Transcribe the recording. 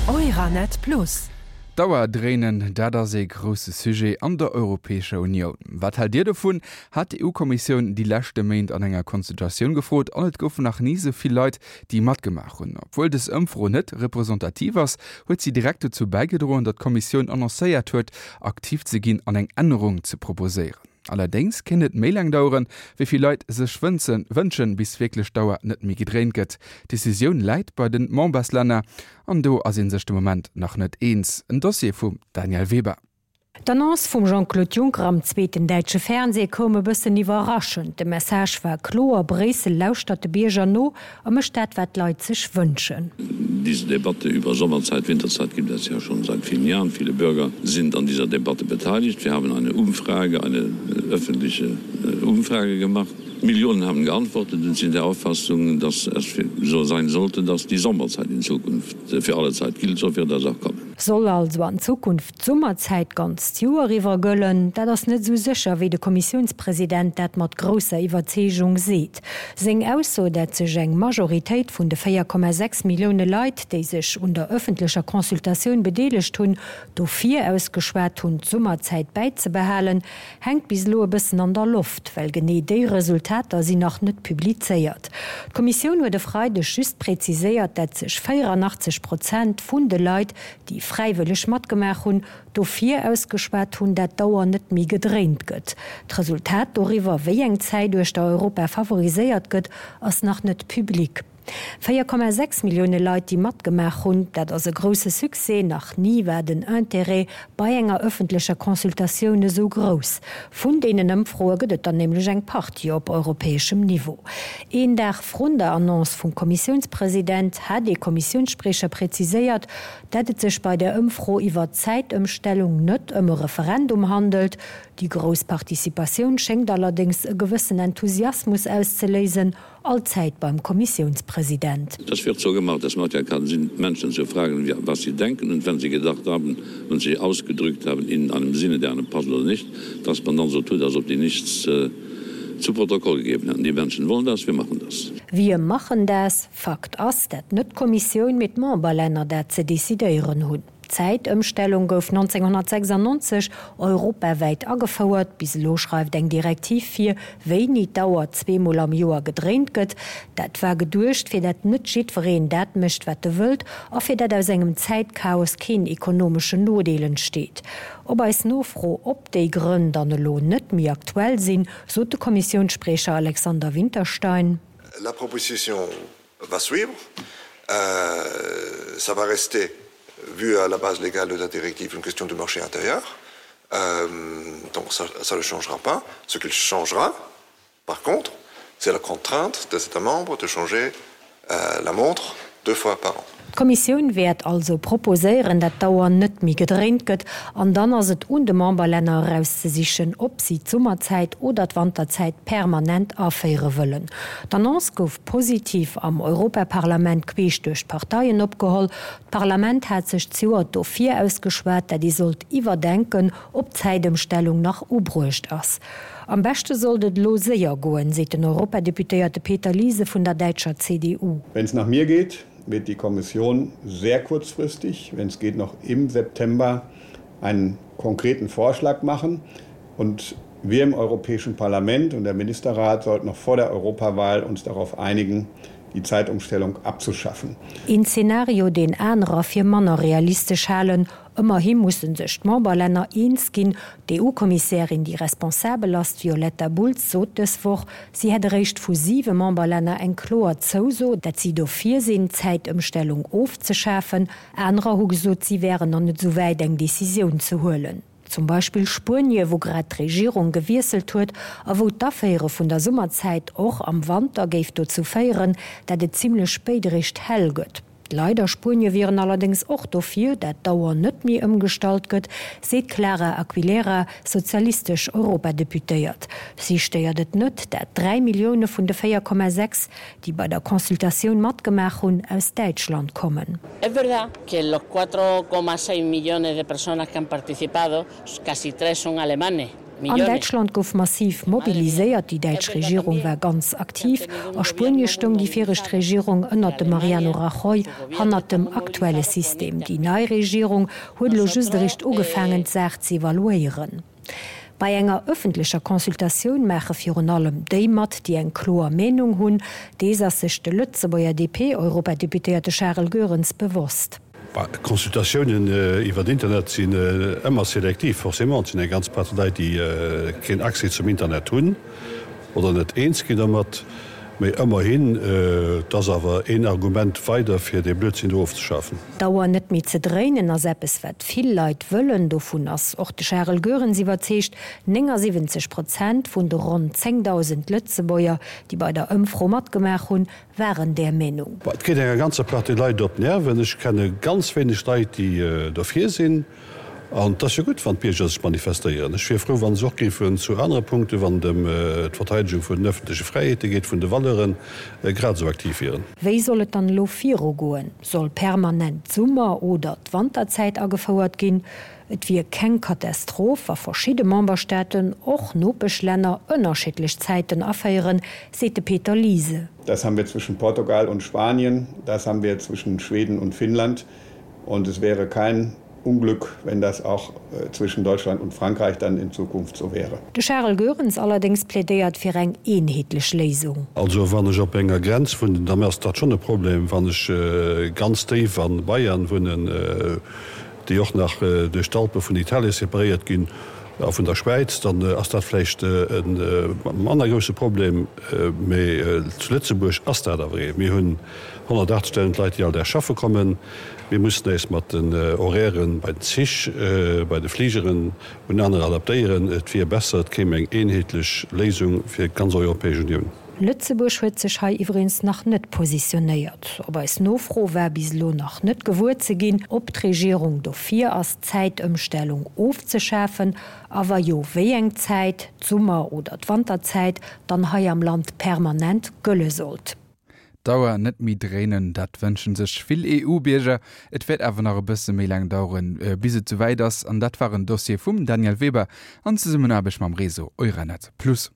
Euranet Plus. D'Auer dréinen, dat ass ee grousse Sujet an der Europäescher Unioun. Wat haalt Dir dovun? hat d'EU-Kommissioun déi leschte Méint an enger Consultatioun gefrot an et goufen nach ni sou vill Leit, déi matgemaach hunn. Obwuel dës Ëmfro net representativ ass, huet si direkt dozou bäigedroen, datt d'Kommissioun annoncéiert huet, aktiv ze ginn an eng Ännerung ze proposéieren. Allerdéngs kéint et méi laang daueren, wéi vill Leit sech wënschen, bis wierklech d'Auer net méi gedréint gëtt. D'Decisioun läit bei de Memberslänner an do ass ee sech de Moment nach net eens. En Dossier vum Danièle Weber. D'Annonce vum Jean-Claude Juncker am zweeten däitsche Fernsee koum e bëssen iwwerraschend. De Message war kloer, Bréissel lauschtert de Bierger no a mécht dat, wat d'Leit sech wënschen. Diese Debatte über Sommerzeit, Winterzeit gibt es ja schon seit vielen Jahren. Viele Bürger sind an dieser Debatte beteiligt. Wir haben eine Umfrage, eine öffentliche Umfrage gemacht. Millionen haben geantwortet und sind der Auffassung, dass es so sein sollte, dass die Sommerzeit in Zukunft für alle Zeit gilt. So wird das auch kommen. Soll also an Zukunft d'Summerzäit d'ganzt Joer iwwer gëllen? Dat ass net esou sécher, wéi de Kommissiounspresident dat mat grousser Iwwerzeegung seet. Seng Ausso, dat sech eng Majoritéit vun de 4,6 Millioune Leit, déi sech un der ëffentlecher Consultatioun bedeelegt hunn, dofir ausgeschwat hunn, d'Summerzäit bäizebehalen, hänkt bis elo e bëssen an der Loft, well genee déi Resultater sinn nach net publizéiert. D'Kommissioun huet e Freideg just präziséiert, dat sech 84 Prozent vun de Leit, déi fräiwëlleg matgemaach hunn, dofir ausgeschwat hunn, dat d'Auer net méi gedréint gëtt. D'Resultat doriwwer, wéi eng Zäit uechter Europa favoriséiert gëtt, ass nach net public. 4,6 Millioune Leit, déi matgemaach hunn, dat ass e grousse Succès. Nach ni war den Interêt bei enger ëffentlecher Consultatioun esou grouss. Vun deenen Ëmfroe gëtt et der nämlech eng Partie op europäeschem Niveau. Een Dag vrun der Annonce vum Kommissiounspresident hat ee Kommissiounsspriecher präziséiert, dat et sech bei der Ëmfro iwwer d'Zäitëmstellung net ëm e Referendum handelt. Déi grouss Participatioun schéngt allerdéngs e gewëssen Enthusiasmus auszeléisen, Allzäit beim Kommissiounspresident. Das wird so gemacht, das macht ja keinen Sinn, Menschen zu fragen, was sie denken und wenn sie gedacht haben und sich ausgedrückt haben in einem Sinne, der einem passt oder nicht, dass man dann so tut, als ob die nichts zu Protokoll gegeben hätten. Die Menschen wollen das, wir machen das. Wir machen das. Fakt ass, dat net d'Kommissioun, mee d'Memberlänner dat ze decidéieren hunn. D'Zäitëmstellung gouf 1996 europawäit agefouert. Bis elo schreift eng Direktiv vir, wéini d'Auer zweemol am Joer gedréint gëtt. Dat war geduecht, fir dat net jiddwereen dat mécht, wat e wëllt a fir dat aus engem Zäitchaos keen ekonomeschen Nodeel entsteet. Op eis Nofro, ob déi Grënn dann elo net méi aktuell sinn, sot de Kommissiounsspriecher Alexander Winterstein. La proposition va suivre, ça va rester vu à la base légale de la directive une question de marché intérieur euh, donc ça, ça ne changera pas ce qu'il changera par contre c'est la contrainte des états membres de changer euh, la montre deux fois par an. D'Kommissioun wäert also proposéieren, dat d'Auer net méi gedréint gëtt, an dann ass et un de Memberlänner erauszesichen, ob si d'Summerzäit oder d'Wanterzäit permanent aféiere wëllen. D'Annonce gouf positiv am Europaparlament queesch duerch d'Parteien opgeholl. D'Parlament hat sech zejoert dofir ausgeschwat, dat ee sollt iwwerdenken, ob d'Zäitëmstellung nach ubruecht ass. Am beschte sollt et elo séier goen, seet den Europadeputéierte Peter Liese vun der däitscher CDU. Wenn es nach mir geht, wird die Kommission sehr kurzfristig, wenn es geht noch im September, einen konkreten Vorschlag machen und wir im Europäischen Parlament und der Ministerrat sollten noch vor der Europawahl uns darauf einigen, die Zeitumstellung abzuschaffen. Een Zeenario, deen anerer fir manner realistesch halen. Ëmmerhi musse sech d'Memberlänner eens ginn. D'EU-Kommissärin, déi responsabel ass, d'Violetta Bulc, sot dës Woch, si hätt eréischt vu siwe Memberlänner eng kloer Zouso, dat si dofir sinn, d'Zäitëmstellung ofzeschafen. Anerer hu gesot, si wären nach net esou wäit, eng Decisioun ze huelen. Zum Beispill Spuenie, wou grad d'Regierung gewiesselt huet a wou d'Aféiere vun der Summerzäit och am Wanter géif dozou féieren, dat et zimmlech spéit eréischt hell gëtt. D'Leit a Spuenie wieren allerdéngs och dofir, dat d'Auer net méi ëmgestallt gëtt, seet d'Clara Aguilera, sozialistesch Europadeputéiert. Si stéiert et net, dat 3 Millioune vun de 4,6, déi bei der Consultatioun matgemaach hunn, aus Däitschland kommen. Es verdad que los 4,6 millones de personas que han participado, casi tres son alemanes. An Däitschland gouf massiv mobiliséiert, déi däitsch Regierung war ganz aktiv. A Spuenie stoung déi viregt Regierung ënnert dem Mariano Rajoy hannert dem aktuelle System. Déi nei Regierung huet elo just eréischt ugefaangen, d'Saach ze evaluéieren. Bei enger ëffentlecher Consultatioun maache virun allem déi mat, déi eng kloer Meenung hunn. Dees ass sech de Lëtzebuerger DP-Europadeputéierte Charel Goerens bewosst. Consultatiounen iwwer Internet sinn ëmmer selektiv, forcément. Et sinn eng ganz Partie Leit, déi keen Accès zum Internet hunn oder net eens ginn dermat. Mee ëmmerhin, et ass awer een Argument weider, fir dee Blödsinn do ofzeschafen. D'Auer net méi ze dréinen ass eppes, wat vill Leit wëllen. Dovun ass och de Charel Goerens iwwerzeegt. 79 Prozent vun de ronn 10.000 Lëtzebuerger, déi bei der Ëmfro matgemaach hunn, waren där Meenung. Et geet enger ganzer Partie Leit op d'Nerven. Ech kenne ganz wéineg Leit, déi dofir sinn. An et ass jo gutt, wann d'Bierger sech manifestéieren. Ech wier frou, wa se och géifen zu anere Punkten, wann et ëm d'Verteidegung vun den öffentleche Fräiheete geet, vun de Valeuren, grad esou aktiv wieren. Wéi soll et dann elo virugoen? Soll permanent d'Summer oder d'Wanterzäit agefouert ginn? Et wier keng Katastroph, wa verschidde Memberstaaten, och Nopeschlänner, ënnerschiddlech Zäiten aféieren, seet de Peter Liese. Das haben wir zwischen Portugal und Spanien, das haben wir zwischen Schweden und Finnland und es wäre kein Unglück, wenn das auch äh, zwischen Deutschland und Frankreich dann in Zukunft so wäre. De Charel Goerens allerdéngs plädéiert fir eng eenheetlech Léisung. Also wann ech op enger Grenz wunnen, dann ass dat schonn e Problem. Wann ech ganz déif a Bayern wunnen, déi och nach duerch d'Alpe vun Italien separéiert ginn a vun der Schwäiz, dann ass dat vläicht e manner grousse Problem. Mee zu Lëtzebuerg ass dat awer ee. Mir hunn 180.000 Leit, déi all Dag schaffe kommen. Mir mussen äis mat den Horairen bei den Zich, bei de Fligeren un aner adaptéieren. Et wier besser, et kéim eng eenheetlech Léisung fir d'ganz Europäesch Unioun. Lëtzebuerg huet sech hei iwweregens nach net positionéiert. Op eis Nofro war bis elo nach net gewuer ze ginn, ob d'Regierung dofir ass, d'Zäitëmstellung ofzeschafen, a wa jo, wéi eng Zäit, d'Summer oder d'Wanterzäit, dann hei am Land permanent gëlle sollt. D'Auer net méi dréinen, dat wënschen sech vill EU-Bierger. Et wäert awer nach e bësse méi laang daueren, bis et souwäit ass. An dat war en Dossier vum Danièle Weber an Zesummenaarbecht mam Réseau Euranet Plus.